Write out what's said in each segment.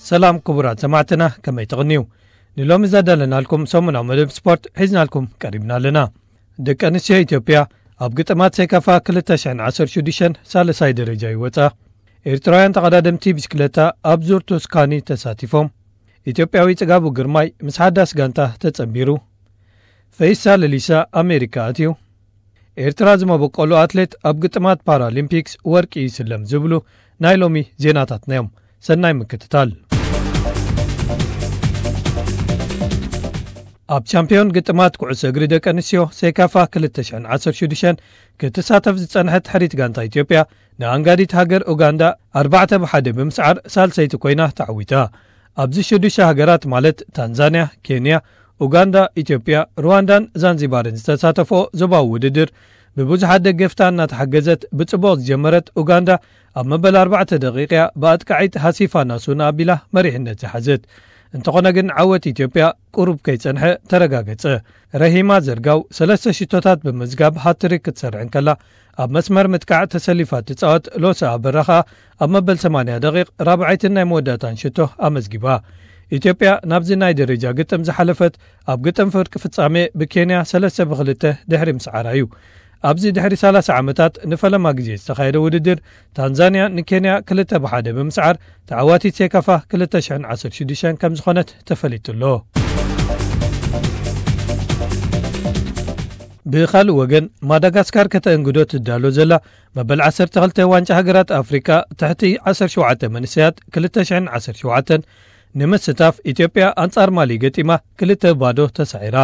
ሰላም ክቡራት ሰማዕትና፣ ከመይ ትቕንዩ? ንሎሚ ዘዳለናልኩም ሰሙናዊ መደብ ስፖርት ሒዝናልኩም ቀሪብና ኣለና። ደቂ ኣንስትዮ ኢትዮጵያ ኣብ ግጥማት ሴካፋ ክልተ ሽሕን ዓሰርተ ሽዱሽተን ሳልሳይ ደረጃ ይወጻ። ኤርትራውያን ተቐዳደምቲ ብሽክለታ ኣብ ዙር ቱስካኒ ተሳቲፎም። ኢትዮጵያዊ ጽጋቡ ግርማይ ምስ ሓዳስ ጋንታ ተጸንቢሩ። ፈይሳ ለሊሳ ኣሜሪካ ኣትዩ። ኤርትራ ዝመበቆሉ ኣትሌት ኣብ ግጥማት ፓራሊምፒክስ ወርቂ ይስለም ዝብሉ ናይ ሎሚ ዜናታትና እዮም። ሰናይ ምክትታል። ኣብ ቻምፒዮን ግጥማት ኩዕሶ እግሪ ደቂ ኣንስትዮ ሴካፋ ክልተ ሽሕን ዓሰርተ ሽዱሽተን ክትሳተፍ ዝጸንሐት ሕሪት ጋንታ ኢትዮጵያ ንኣንጋዲት ሃገር ኡጋንዳ ኣርባዕተ ብሓደ ብምስዓር ሳልሰይቲ ኮይና ተዓዊታ። ኣብዚ ሽዱሽተ ሃገራት ማለት ታንዛንያ፣ ኬንያ፣ ኡጋንዳ፣ ኢትዮጵያ፣ ሩዋንዳን ዛንዚባርን ዝተሳተፎ ዞባዊ ውድድር ብብዙሓት ደገፍታ እናተሓገዘት ብጽቡቕ ዝጀመረት ኡጋንዳ ኣብ መበል ኣርባዕተ ደቂቕ እያ ብኣጥቃዒት ሃሲፋ ናሱና ኣቢላ መሪሕነት ዝሓዘት። እንተኾነ ግን ዓወት ኢትዮጵያ ቁሩብ ከይጸንሐ ተረጋገጸ። ረሂማ ዘርጋው ሰለስተ ሽቶታት ብምዝጋብ ሃትሪክ ክትሰርሕ እንከላ ኣብ መስመር ምጥቃዕ ተሰሊፋ ትጻወት ሎሳ ኣበራ ኸኣ ኣብ መበል ሰማንያ ደቂቕ ራብዓይትን ናይ መወዳእታን ሽቶ ኣመዝጊባ። ኢትዮጵያ ናብዚ ናይ ደረጃ ግጥም ዝሓለፈት ኣብ ግጥም ፍርቂ ፍጻሜ ብኬንያ ሰለስተ ብክልተ ድሕሪ ምስዓራ እዩ። ኣብዚ ድሕሪ ሰላሳ ዓመታት ንፈለማ ግዜ ዝተኻየደ ውድድር ታንዛንያ ንኬንያ ክልተ ብሓደ ብምስዓር ተዓዋቲት ሴካፋ ክልተ ሽሕን ዓሰርተ ሽዱሽተን ከም ዝኾነት ተፈሊጡ ኣሎ። ብኻልእ ወገን ማዳጋስካር ከተእንግዶ ትዳሎ ዘላ መበል ዓሰርተ ክልተ ዋንጫ ሃገራት ኣፍሪካ ትሕቲ ዓሰርተ ሸውዓተ መንእሰያት ክልተ ሽሕን ዓሰርተ ሸውዓተን ንምስታፍ ኢትዮጵያ ኣንጻር ማሊ ገጢማ ክልተ ባዶ ተሳዒራ።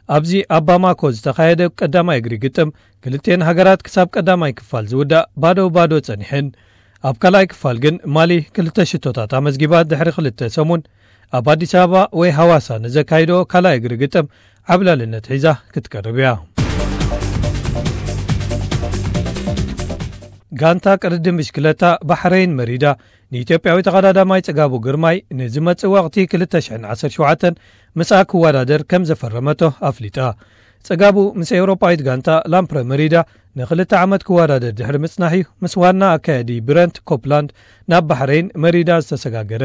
ኣብዚ ኣብ ባማኮ ዝተኻየደ ቀዳማይ እግሪ ግጥም ክልቴን ሃገራት ክሳብ ቀዳማይ ክፋል ዝውዳእ ባዶ ባዶ ጸኒሐን። ኣብ ካልኣይ ክፋል ግን ማሊ ክልተ ሽቶታት ኣመዝጊባ ድሕሪ ክልተ ሰሙን ኣብ ኣዲስ ኣበባ ወይ ሃዋሳ ንዘካይዶ ካልኣይ እግሪ ግጥም ዓብላልነት ሒዛ ክትቀርብ እያ። ጋንታ ቅድድም ብሽክለታ ባሕረይን መሪዳ ንኢትዮጵያዊ ተቐዳዳማይ ጽጋቡ ግርማይ ንዝመጽእ ወቕቲ ክልተ ሽሕን ዓሰርተ ሸውዓተን ምስኣ ክወዳደር ከም ዘፈረመቶ ኣፍሊጣ። ጽጋቡ ምስ ኤውሮጳዊት ጋንታ ላምፕረ መሪዳ ንኽልተ ዓመት ክወዳደር ድሕሪ ምጽናሕ እዩ ምስ ዋና ኣካያዲ ብረንት ኮፕላንድ ናብ ባሕረይን መሪዳ ዝተሰጋገረ።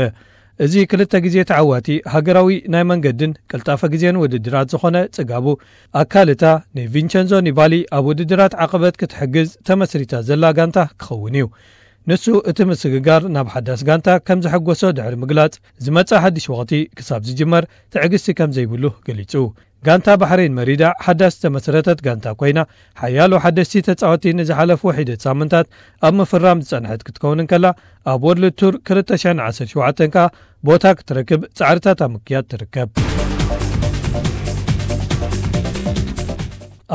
እዚ ክልተ ግዜ ተዓዋቲ ሃገራዊ ናይ መንገድን ቅልጣፈ ግዜን ውድድራት ዝኾነ ጽጋቡ ኣካልታ ንቪንቸንዞ ኒባሊ ኣብ ውድድራት ዓቐበት ክትሕግዝ ተመስሪታ ዘላ ጋንታ ክኸውን እዩ። ንሱ እቲ ምስግጋር ናብ ሓዳስ ጋንታ ከም ዘሐጎሶ ድሕሪ ምግላጽ፣ ዝመጽእ ሓድሽ ወቕቲ ክሳብ ዝጅመር ትዕግስቲ ከም ዘይብሉ ገሊጹ። ጋንታ ባሕሬን መሪዳ ሓዳስ ዝተመስረተት ጋንታ ኮይና፣ ሓያሎ ሓደስቲ ተጻወቲ ንዝሓለፉ ሒደት ሳምንታት ኣብ ምፍራም ዝጸንሐት ክትከውን እንከላ፣ ኣብ ወርልድ ቱር ክልተ ሽሕን ዓሰርተ ሸውዓተን ከኣ ቦታ ክትረክብ ጻዕርታት ኣብ ምክያድ ትርከብ።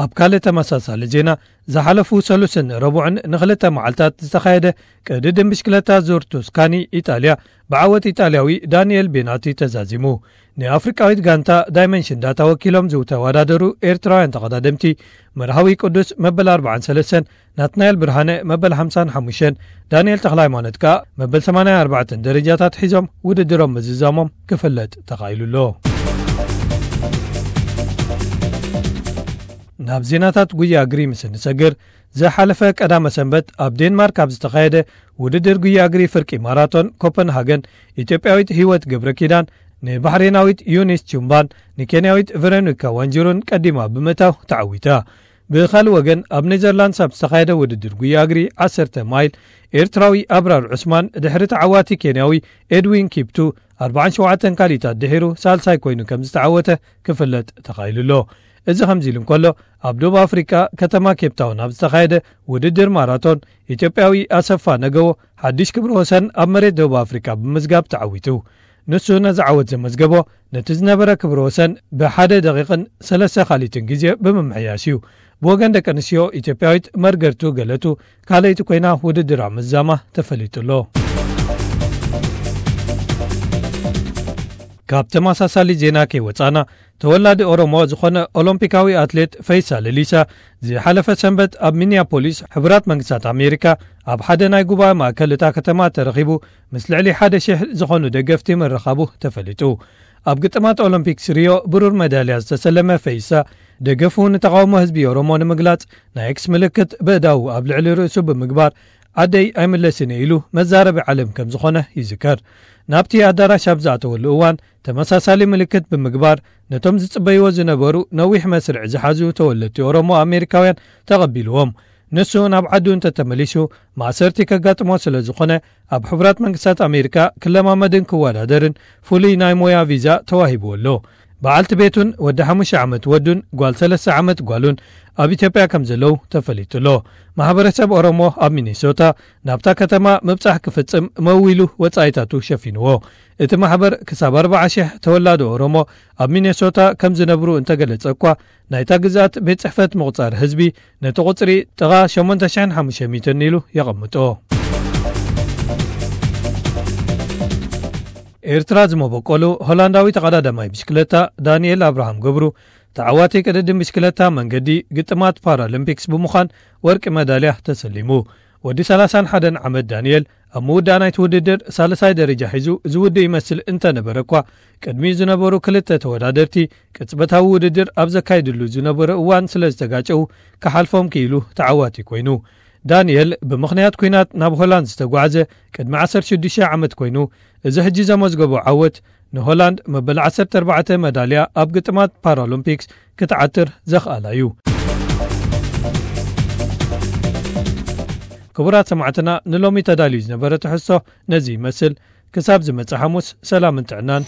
ኣብ ካልእ ተመሳሳሊ ዜና፣ ዝሓለፉ ሰሉስን ረቡዕን ንኽልተ መዓልታት ዝተኻየደ ቅድድም ብሽክለታ ዙር ቱስካኒ ኢጣልያ ብዓወት ኢጣልያዊ ዳንኤል ቤናቲ ተዛዚሙ። ንኣፍሪቃዊት ጋንታ ዳይመንሽን ዳታ ወኪሎም ዝተወዳደሩ ኤርትራውያን ተቐዳደምቲ መርሃዊ ቅዱስ መበል ኣርባዓን ሰለስተን፣ ናትናኤል ብርሃነ መበል ሓምሳን ሓሙሽተን፣ ዳንኤል ተኽለሃይማኖት ከኣ መበል ሰማንያን ኣርባዕተን ደረጃታት ሒዞም ውድድሮም ምዝዛሞም ክፍለጥ ተኻኢሉ ኣሎ። ናብ ዜናታት ጉያ እግሪ ምስ እንሰግር፣ ዝሓለፈ ቀዳመ ሰንበት ኣብ ዴንማርክ ኣብ ዝተኻየደ ውድድር ጉያ እግሪ ፍርቂ ማራቶን ኮፐንሃገን፣ ኢትዮጵያዊት ህይወት ገብረ ኪዳን ንባሕሬናዊት ዩኒስ ቹምባን ንኬንያዊት ቨሮኒካ ዋንጅሩን ቀዲማ ብምእታው ተዓዊታ። ብኻልእ ወገን፣ ኣብ ኔዘርላንድስ ኣብ ዝተኻየደ ውድድር ጉያ እግሪ ዓሰርተ ማይል፣ ኤርትራዊ ኣብራር ዑስማን ድሕሪ ተዓዋቲ ኬንያዊ ኤድዊን ኪፕቱ ኣርባዓን ሸውዓተን ካልኢታት ድሒሩ ሳልሳይ ኮይኑ ከም ዝተዓወተ ክፍለጥ ተኻኢሉ ኣሎ። እዚ ከምዚ ኢሉ እንከሎ፣ ኣብ ደቡብ ኣፍሪቃ ከተማ ኬፕታውን ኣብ ዝተኻየደ ውድድር ማራቶን፣ ኢትዮጵያዊ ኣሰፋ ነገዎ ሓድሽ ክብረ ወሰን ኣብ መሬት ደቡብ ኣፍሪቃ ብምዝጋብ ተዓዊቱ። ንሱ ነዚ ዓወት ዘመዝገቦ ነቲ ዝነበረ ክብረ ወሰን ብሓደ ደቂቕን ሰለስተ ካልኢትን ግዜ ብምምሕያሽ እዩ። ብወገን ደቂ ኣንስትዮ፣ ኢትዮጵያዊት መርገርቱ ገለቱ ካልኣይቲ ኮይና ውድድራ ምዝዛማ ተፈሊጡ ኣሎ። ካብ ተመሳሳሊ ዜና ከይወጻና፣ ተወላዲ ኦሮሞ ዝኾነ ኦሎምፒካዊ ኣትሌት ፈይሳ ለሊሳ ዝሓለፈ ሰንበት ኣብ ሚኒያፖሊስ ሕቡራት መንግስታት ኣሜሪካ ኣብ ሓደ ናይ ጉባኤ ማእከል እታ ከተማ ተረኺቡ ምስ ልዕሊ ሓደ ሽሕ ዝኾኑ ደገፍቲ ምርኻቡ ተፈሊጡ። ኣብ ግጥማት ኦሎምፒክስ ሪዮ ብሩር መዳልያ ዝተሰለመ ፈይሳ፣ ደገፉ ንተቓውሞ ህዝቢ ኦሮሞ ንምግላጽ ናይ ኤክስ ምልክት በእዳዉ ኣብ ልዕሊ ርእሱ ብምግባር፣ "ዓደይ ኣይምለስን እየ" ኢሉ መዛረቢ ዓለም ከም ዝኾነ ይዝከር። ናብቲ ኣዳራሽ ኣብ ዝኣተወሉ እዋን ተመሳሳሊ ምልክት ብምግባር ነቶም ዝጽበይዎ ዝነበሩ ነዊሕ መስርዕ ዝሓዙ ተወለድቲ ኦሮሞ ኣሜሪካውያን ተቐቢልዎም። ንሱ ናብ ዓዱ እንተተመሊሱ ማእሰርቲ ከጋጥሞ ስለ ዝኾነ ኣብ ሕቡራት መንግስታት ኣሜሪካ ክለማመድን ክወዳደርን ፍሉይ ናይ ሞያ ቪዛ ተዋሂብዎ ኣሎ። በዓልቲ ቤቱን ወዲ ሓሙሽተ ዓመት ወዱን ጓል ሰለስተ ዓመት ጓሉን ኣብ ኢትዮጵያ ከም ዘለዉ ተፈሊጡ ኣሎ። ማሕበረሰብ ኦሮሞ ኣብ ሚኒሶታ ናብታ ከተማ ምብጻሕ ክፍጽም መዊሉ ወጻኢታቱ ሸፊንዎ። እቲ ማሕበር ክሳብ ኣርባዓ ሽሕ ተወላዶ ኦሮሞ ኣብ ሚኒሶታ ከም ዝነብሩ እንተገለጸ እኳ ናይታ ግዝኣት ቤት ጽሕፈት ምቑጻር ህዝቢ ነቲ ቁጽሪ ጥቓ ሸሞንተ ሽሕን ሓሙሽተ ሚእትን ኢሉ የቐምጦ። ኤርትራ ዝመበቆሉ ሆላንዳዊ ተቐዳዳማይ ብሽክለታ ዳንኤል ኣብርሃም ገብሩ ተዓዋቲ ቅድድም ብሽክለታ መንገዲ ግጥማት ፓራሊምፒክስ ብምዃን ወርቂ መዳልያ ተሰሊሙ። ወዲ ሰላሳን ሓደን ዓመት ዳንኤል ኣብ ምውዳእ ናይቲ ውድድር ሳልሳይ ደረጃ ሒዙ ዝውድእ ይመስል እንተነበረ እኳ ቅድሚኡ ዝነበሩ ክልተ ተወዳደርቲ ቅጽበታዊ ውድድር ኣብ ዘካይድሉ ዝነበረ እዋን ስለ ዝተጋጨው ክሓልፎም ክኢሉ ተዓዋቲ ኮይኑ። ዳንኤል ብምኽንያት ኲናት ናብ ሆላንድ ዝተጓዕዘ ቅድሚ ዓሰርተ ሽዱሽተ ዓመት ኮይኑ፣ እዚ ሕጂ ዘመዝገቦ ዓወት ንሆላንድ መበል ዓሰርተ ኣርባዕተ መዳልያ ኣብ ግጥማት ፓራሎምፒክስ ክትዓትር ዘኽኣላ እዩ። ክቡራት ሰማዕትና፣ ንሎሚ ተዳልዩ ዝነበረ ትሕዝቶ ነዚ ይመስል። ክሳብ ዝመጽእ ሓሙስ ሰላምን ጥዕናን።